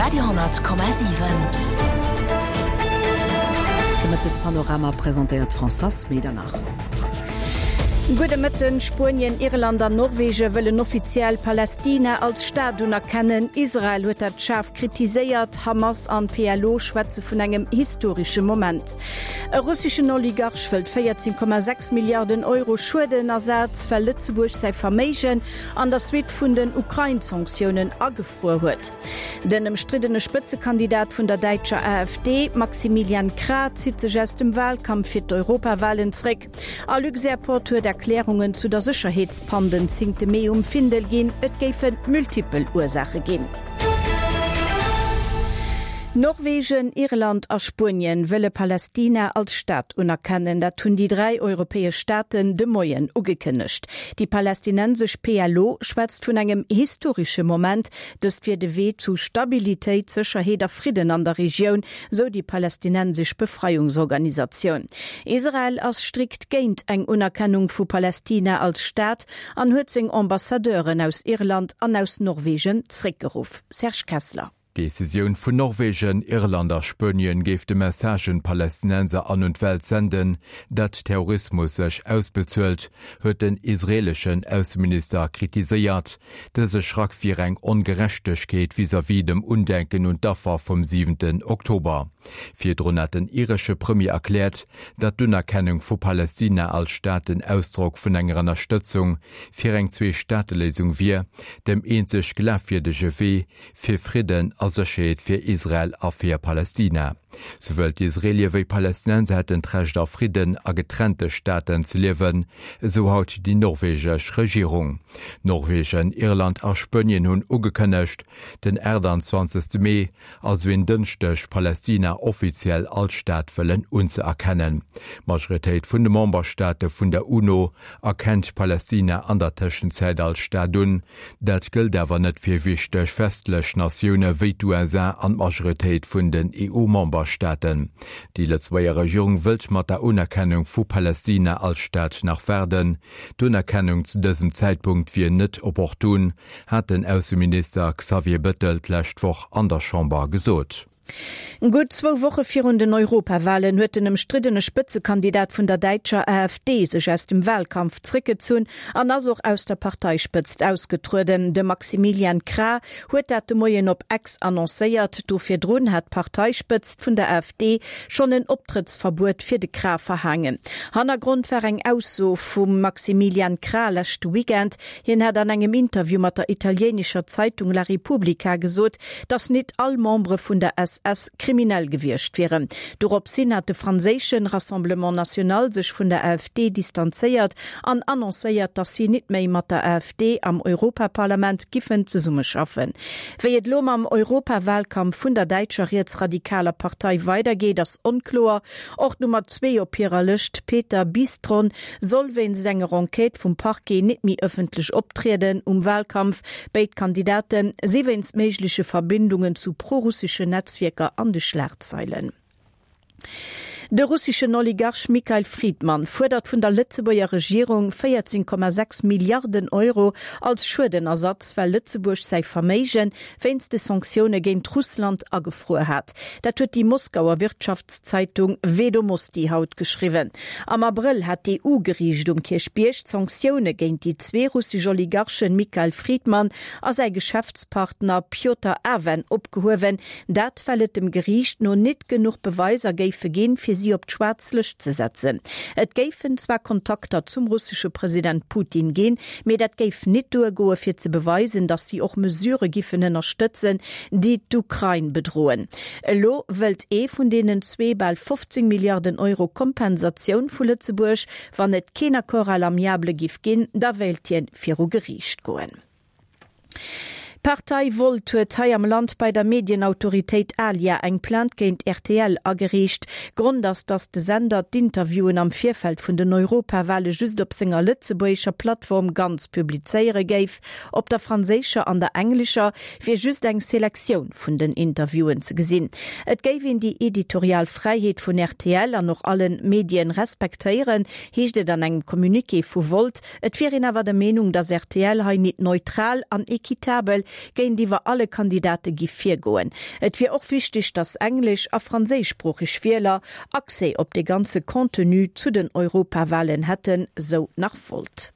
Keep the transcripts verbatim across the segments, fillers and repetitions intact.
Radio honnert Komma siwen. De Mëttespanorama presentéiert d'Françoise Medernach. Gudde Mëtten, Spuenien, Irland an Norwegen wëllen offiziell Palästina als Staat unerkennen. Israel huet dat schaarf kritiséiert. Hamas an P L O schwätze vun engem historesche Moment. E russeschen Oligarch wëllt véierzéng Komma sechs Milliarden Euro Schuedenersaz, well Lëtzebuerg säi Verméigen an der Suite vun den Ukrain-Sanktiounen agefruer huet. Den ëmstriddene Spëtzekandidat vun der däitscher A F D, Maximilian Krah, zitt sech aus dem Walkampf fir d'Europawalen zréck. A Luxairport huet Erklärungen zu der Sécherheetspann den zéngte Mee um Findel ginn, et géife multipel Ursaache ginn. Norwegen, Irland a Spuenien wëlle Palästina als Staat unerkennen. Dat hunn déi dräi europäesch Staaten de Moien ugekënnegt. Déi palästinensesch P L O schwätzt vun engem historesche Moment. Dëst wier de Wee zu Stabilitéit, Sécherheet a Fridden an der Regioun, sou déi palästinensesch Befreiungsorganisatioun. Israel ass strikt géint eng Unerkennung vu Palästina als Staat an huet seng Ambassadeuren aus Irland an aus Norwegen zréckgeruff. Serge Kessler. D'Decisioun vun Norwegen, Irland a Spuenien géif de Message un d'Palästinenser an un d'Welt senden, datt Terrorismus sech ausbezuelt, huet den israeleschen Ausseminister kritiséiert. Dëse Schrack wier eng Ongerechtegkeet vis-à-vis dem Undenken un d'Affer vum siwenten Oktober. Virdrun hat den iresche Premier erkläert, datt d'Unerkennung vu Palästina als Staat den Ausdrock vun enger Ënnerstëtzung fir eng Zwee-Staate-Léisung wier, dem eenzeg glafwierdege Wee fir Fridden a Sécherheet fir Israel a fir Palästina. Souwuel d'Israelie wéi Palästinenser hätten d'Recht a Fridden a getrennte Staaten ze liewen, esou haut déi norwegesch Regierung. Norwegen, Irland a Spuenien hunn ugekënnegt, den aachtanzwanzegste Mee, also en Dënschdeg, Palästina offiziell als Staat wëllen unzëerkennen. D'Majoritéit vun de Memberstaate vun der UNO erkennt Palästina an der Tëschenzäit als Staat un. Dat gëllt awer net fir wichteg westlech Natioune wéi d'U S A an d'Majoritéit vun den E U-Memberstaaten. Déi Lëtzebuerger Regierung wëllt mat der Unerkennung vu Palästina als Staat nach waarden. D'Unerkennung zu dësem Zäitpunkt wier net opportun, hat den Ausseminister Xavier Bettel d'lescht Woch an der Chamber gesot. Gutt zwou Woche virun den Europawalen huet den ëmstriddene Spëtzekandidat vun der däitscher A F D sech aus dem Walkampf zréckgezunn an ass och aus der Parteispëtzt ausgetrueden. De Maximilian Krah huet dat de Moien op X annoncéiert. Do virdrun hat d'Parteispëtzt vun der A F D schonn en Optrëttsverbuet fir de Krah verhaangen. Hannergrond war eng Ausso vum Maximilian Krah leschte Weekend. Hien hat an engem Interview mat der italieenescher Zeitung La Repubblica gesot, datt net all Membere vun der S S kriminell gewiescht wieren. Doropshin hat de franséische Rassemblement National sech vun der A F D distanzéiert an annoncéiert, datt si net méi mat der A F D am Europaparlament giffen zesummeschaffen. Wéi et lo mam Europawalkampf vun der däitscher rietsradikaler Partei weidergeet, ass onkloer. Och d'Nummer zwee op hirer Lëscht, Peter Bystron, soll wéinst enger Enquête vum Parquet net méi ëffentlech optrieden um Walkampf. Béid Kandidate si wéinst méigleche Verbindungen zu prorusseschen Netzwierker an de Schlagzeilen. De russeschen Oligarch Mikhail Fridman fuerdert vun der Lëtzebuerger Regierung véierzéng Komma sechs Milliarden Euro als Schuedenersatz, well Lëtzebuerg säi Verméige wéinst de Sanktioune géint Russland agefruer hat. Dat huet déi Moskauer Wirtschaftszeitung Vedomosti haut geschriwwen. Am Abrëll hat d'E U-Geriicht um Kierchbierg d'Sanktioune géint déi zwee russesch Oligarchen Mikhail Fridman a säi Geschäftspartner Pjotr Aven opgehuewen, dat well et dem Geriicht no net genuch Beweiser géife ginn, fir si op d'schwaarz Lëscht ze setzen. Et géifen zwar Kontakter zum russesche President Putin ginn, mee dat géif net duergoe fir ze beweisen, datt si och Mesurë giffen ënnerstëtzen, déi d'Ukrain bedroen. Elo wëllt ee vun deenen zwee bal fofzéng Milliarden Euro Kompensatioun vu Lëtzebuerg. Wann et keen Accord à l'amiable giff ginn, da wéilt hien viru Geriicht goen. D'Partei Volt huet hei am Land bei der Medienautoritéit ALIA eng Plainte géint R T L agereecht. Grond ass, datt de Sender d'Interviewen am Virfeld vun den Europawale just op senger lëtzebuergescher Plattform ganz publizéiere géif. Op der franséischer an der englescher wier just eng Selektioun vun den Interviewen ze gesinn. Et géif een déi editorial Fräiheet vun R T L an och allen Medien respektéieren, heescht et an engem Communiqué vu Volt. Et wier een awer der Meenung, datt R T L hei net neutral an equitabel géintiwwer alle Kandidate giff virgoen. Et wier och wichteg, datt englesch a franséischsproocheg Wieler Accès op de ganze Contenu zu den Europawahlen hätten, sou nach Volt.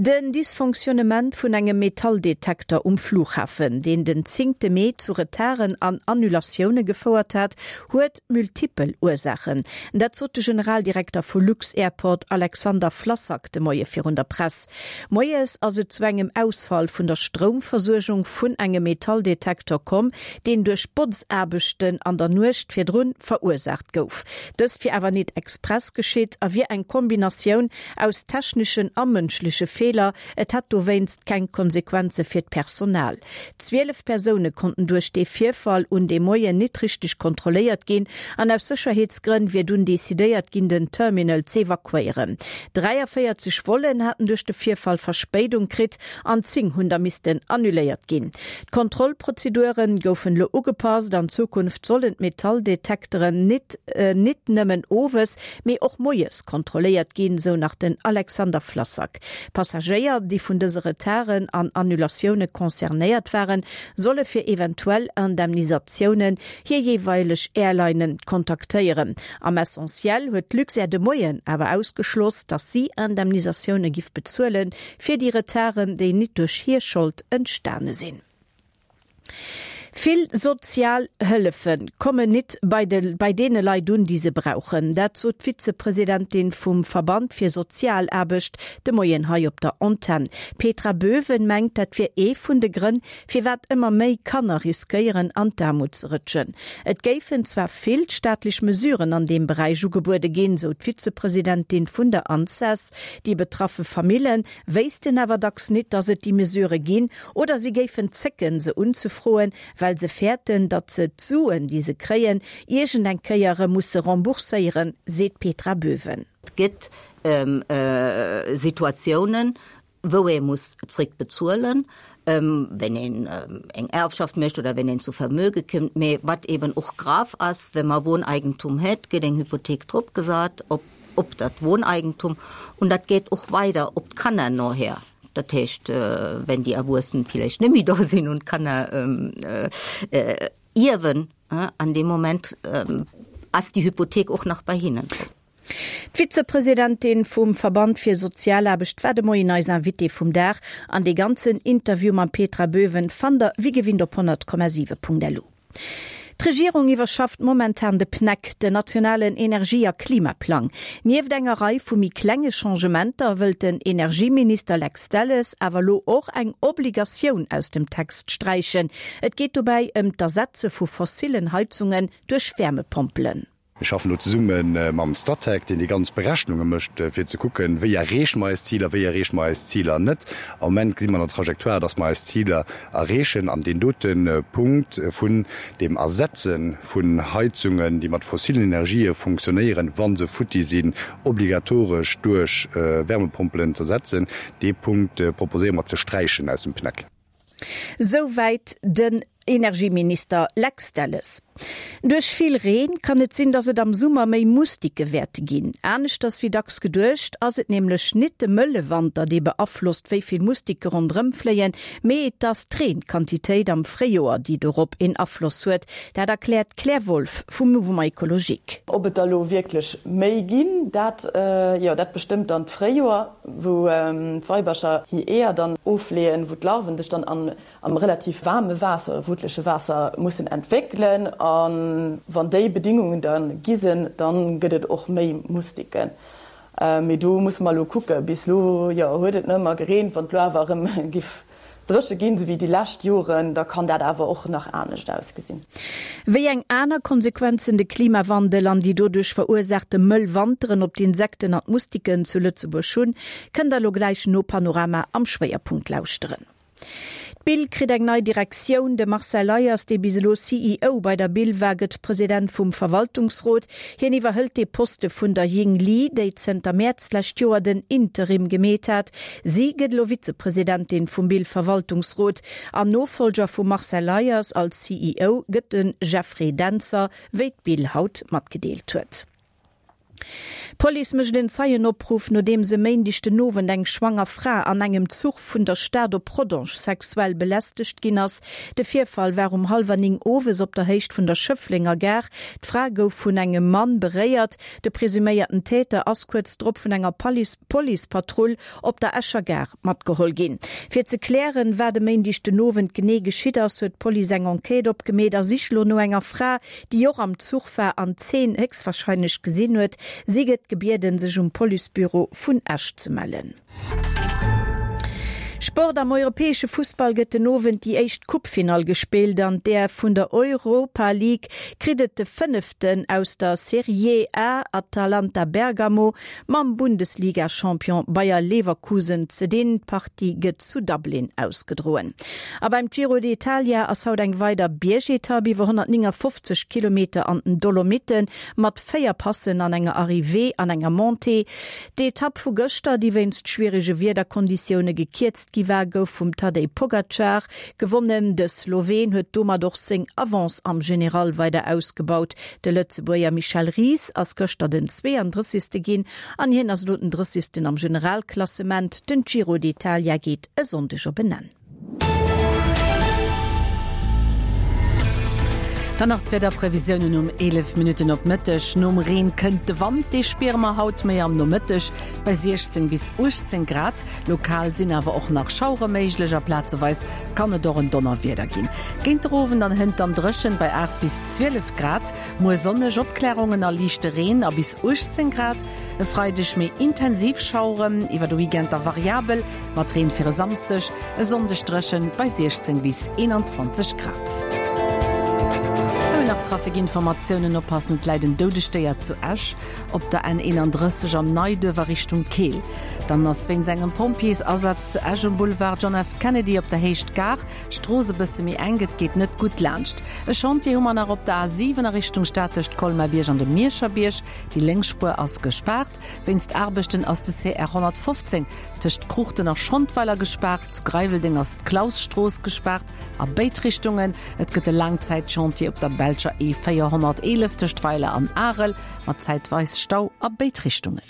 Den Dysfonctionnement vun engem Metalldetekter um Flughafen, deen den zéngte Mee zu Retarden an Annulatioune gefouert hat, huet multipel Ursaachen. Dat sot de Generaldirekter vu Lux-Airport Alexander Flassak de Moie virun der Press. Moies ass et zu engem Ausfall vun der Stroumversuergung vun engem Metalldetekter komm, deen duerch Botzaarbechten an der Nuecht virdrun verursaacht gouf. Dëst wier awer net express geschitt a wier eng Kombinatioun aus techneschen a mënschleche Feeler, et hätt dowéinst keng Konsequenze fir d'Personal. Zwielef Persoune konnten duerch dee Virfall un deem Moien net richteg kontrolléiert ginn an aus Sécherheetsgrënn wier dunn decidéiert ginn, den Terminal z'evakuéieren. dräiavéierzeg Vollen haten duerch de Virfall Verspéidung kritt an zéng hunn der missten annuléiert ginn. D'Kontrollprozedure goufen elo ugepasst, an Zukunft sollen d'Metalldetekteren nit nit nëmmen owes, mee och moies kontrolléiert ginn, sou nach den Alexander Flassak. Passagéier, déi vun dëse Retarden an Annulatioune concernéiert waren, solle fir eventuell Indemnisatiounen hir jeeweileg Airlinen kontaktéieren. Am Essentiel huet d'Luxair de Moien awer ausgeschloss, datt si Indemnisatioune giff bezuelen, fir déi Retarden, déi nit duerch hir Schold entstane sinn. Vill sozial Hëllefe kommen nit bei de bei deene Leit un, déi se brauchen. Dat sot d'Vizepresidentin vum Verband fir Sozialaarbecht de Moien hei op der Antenn. D'Petra Böwen mengt, dat wier ee vun de Grënn, firwat ëmmer méi Kanner riskéieren, an d'Aarmut ze rëtschen. Et géifen zwar vill staatlech Mesuren an deem Beräich ugebuede ginn, sou d'Vizepresidentin vun der Anses. Déi betraffe Famillen wéissten awer dacks nit, datt et déi Mesurë ginn, oder si géifen zécken, se unzefroen, well se fäerten, datt se d'Suen, déi se kréien, iergend eng Kéier erëm musse rembourséieren, seet d'Petra Böwen. Et gëtt Situatiounen, wou ee muss zréckbezuelen, wenn een eng Erbschaft mécht oder wenn een zu Vermöge kënnt. Mee wat eben och grav ass, Wa mer Wohneigentum hätt, gëtt eng Hypothek drop gesat op op dat Wohneigentum und dat geet och weider op d'Kanner noher. Dat heescht, wenn déi Erwuessen villäicht net méi do sinn und d'Kanner ierwen, an deem Moment ass déi Hypothek och nach bei hinnen drop. D'Vizepresidentin vum Verband fir Sozialaarbecht war de Moien eis Invitée vum Dag an dee ganzen Interview mam Petra Böwen fannt der wéi gewinnt op honnert Komma siwe Punkt lu. D'Regierung iwwerschafft momentan de PNEC, den nationalen Energie a Klimaplang. Nieft enger Rei vu méi klenge Changementer wëllt den Energieminister Lex Delles awer lo och eng Obligatioun aus dem Text sträichen. Et geet dobäi ëm d'Ersetze vu fossillen Heizungen duerch Wärmepompelen. Mir schaffen do zesumme mam Statec, deen déi ganz Berechnunge mécht, fir ze kucken, wéi erreeche mer eis Ziler, wéi erreeche mer eis Ziler net. Am Moment gesi mer an der Trajectoire, dass mer eis Ziler erreechen. An deen dote Punkt vun dem Ersetze vun Heizungen, déi mat fossilen Energië funktionéieren, wa se futti sinn, obligatoresch duerch Wärmepompelen z'ersetzen, dee Punkt proposéiere mer ze sträichen aus dem PNEC. Souwäit den Energieminister Lex Delles. Duerch vill Reen kann et sinn, dass et am Summer méi Mustike wäerte ginn. Aneschters wéi dacks geduecht, ass et nämlech nit de mëlle Wanter, dee beaflosst, wéi vill Mustike ronderëm fléien, mee et ass d'Reenquantitéit am Fréijoer, déi dorop een Afloss huet. Dat erkläert d'Claire Wolff vum Mouvement Ecologique. Ob et der elo wierklech méi ginn, dat, jo, dat bestëmmt dann d'Fréijoer, wou d'Weibercher hir Eeër dann ofleeën, wou d'Larven sech dann an am relativ waarme Waasser, wuttleche Waasser mussen entwéckelen. A wann déi Bedingungen da gi sinn, da gëtt et och méi Mustiken. Mee do musse mer elo kucken. Bis elo, jo, huet et net ëmmer gereent. Wann et elo awer erëm giff dréche ginn, esou wéi déi lescht Joren, da kann dat awer och nach anescht ausgesinn. Wéi eng aner Konsequenzen de Klimawandel an déi doduerch verursaachte mëll Wanteren op d'Insekten an d'Mustiken zu Lëtzebuerg hunn, kënnt der elo gläich no Panorama am Schwéierpunkt lauschteren. D'Bill kritt eng nei Direktioun. De Marcel Leyers, dee bis elo C E O bei der Bill war, gëtt President vum Verwaltungsrot. Hien iwwerhëlt dee Poste vun der Ying Li, déi zënter Mäerz d'lescht Joer den Interim gemeet hat. Si gëtt elo Vizepresidentin vum Bill-Verwaltungsrot. An Nofollger vum Marcel Leyers als C E O gëtt de Jeffrey Dentzer, wéi d'Bill haut matgedeelt huet. D'Police mécht en Zeienopruff, nodeems e Méindeg den Owend eng schwanger Fra an engem Zuch vun der Stad op Rodange sexuell belästegt ginn ass. De Virfall war um hallwer néng owes op der Héicht vun der Schëfflenger Gare. D'Fra gouf vun engem Mann beréiert. De presuméierten Täter ass kuerz drop vun enger Policepatrull op der Escher Gare matgeholl ginn. Fir ze klären, wat e Méindeg den Owend genee geschitt ass, huet d'Police eng Enquête opgemeet a sicht lo no enger Fra, déi och am Zuch war an d'Zeen héchstwarscheinlech gesinn huet. Si gëtt gebieden, sech um Policebüro vun Esch ze mellen. Sport, Am europäesche Fussball gëtt den Owend déi éischt Coupefinall gespillt. An där vun der Europa League kritt et de Fënneften aus der Serie A, Atalanta Bergamo, mam Bundesliga-Champion Bayer Leverkusen ze dinn. D'Partie gëtt zu Dublin ausgedroen. A beim Giro d'Italia ass haut eng weider Biergetapp iwwer honnertnéngafofzeg Kilometer an den Dolomitten mat véier Passen an enger Arrivée an enger Montée. D'Etapp vu gëschter, déi wéinst schwierege Wiederkonditioune gekierzt gi war, gouf vum Tadej Pogacar gewonnen. De Sloween huet domat och seng Avance am General weider ausgebaut. De Lëtzebuerger Michel Ries ass gëschter den zweeëndrëssegste ginn an hien ass elo den drëssegsten am Generalklassement. Den Giro d'Italia geet e Sonndeg op en Enn. Dann nach d'Wiederprevisiounen um eelef Minutten op Mëtteg. Nom Reen kënnt de Wand, dee spiere mer haut méi am Nomëtteg bei siechzéng bis uechtzéng Grad. Lokal sinn awer och nach Schauere méiglech a plazeweis kann et och en Donnerwieder ginn. Géint der Owend an hënt dann dréchen bei aacht bis zwielef Grad. Muer sonneg, Opklärungen a liichte Reen a bis uechtzéng Grad. E Freideg méi intensiv Schaueren, iwwer de Weekend da variabel mat Reen fir e Samsdeg. E Sonndeg dréchen bei siechzéng bis eenanzwanzeg Grad. Nach Trafikinformatiounen, Oppassen, et läit en doudegt Déier zu Esch op der N eenanddrësseg am Neiduerf a Richtung Keel. Dann ass wéinst engem Pompjeesasaz zu Esch um Boulevard John F. Kennedy op der Héicht Gare d'Strooss e bësse méi enk, et geet net gutt laanscht. E Chantier hu mer nach op der A siwen a Richtung Stad tëscht Colmar-Bierg an dem Mierscher Bierg. Déi lénks Spuer ass gespaart. Wéinst Aarbechten ass de C R honnertfofzéng tëscht Kruuchten a Schrondweiler gespaart. Zu Greiweldeng ass d'Klausstrooss gespaart a béid Richtungen. Et gëtt e Laangzäitchantier op der belscher E véierhonnerteelef tëscht Weiler an Arel, mat zäitweis Stau a béid Richtungen.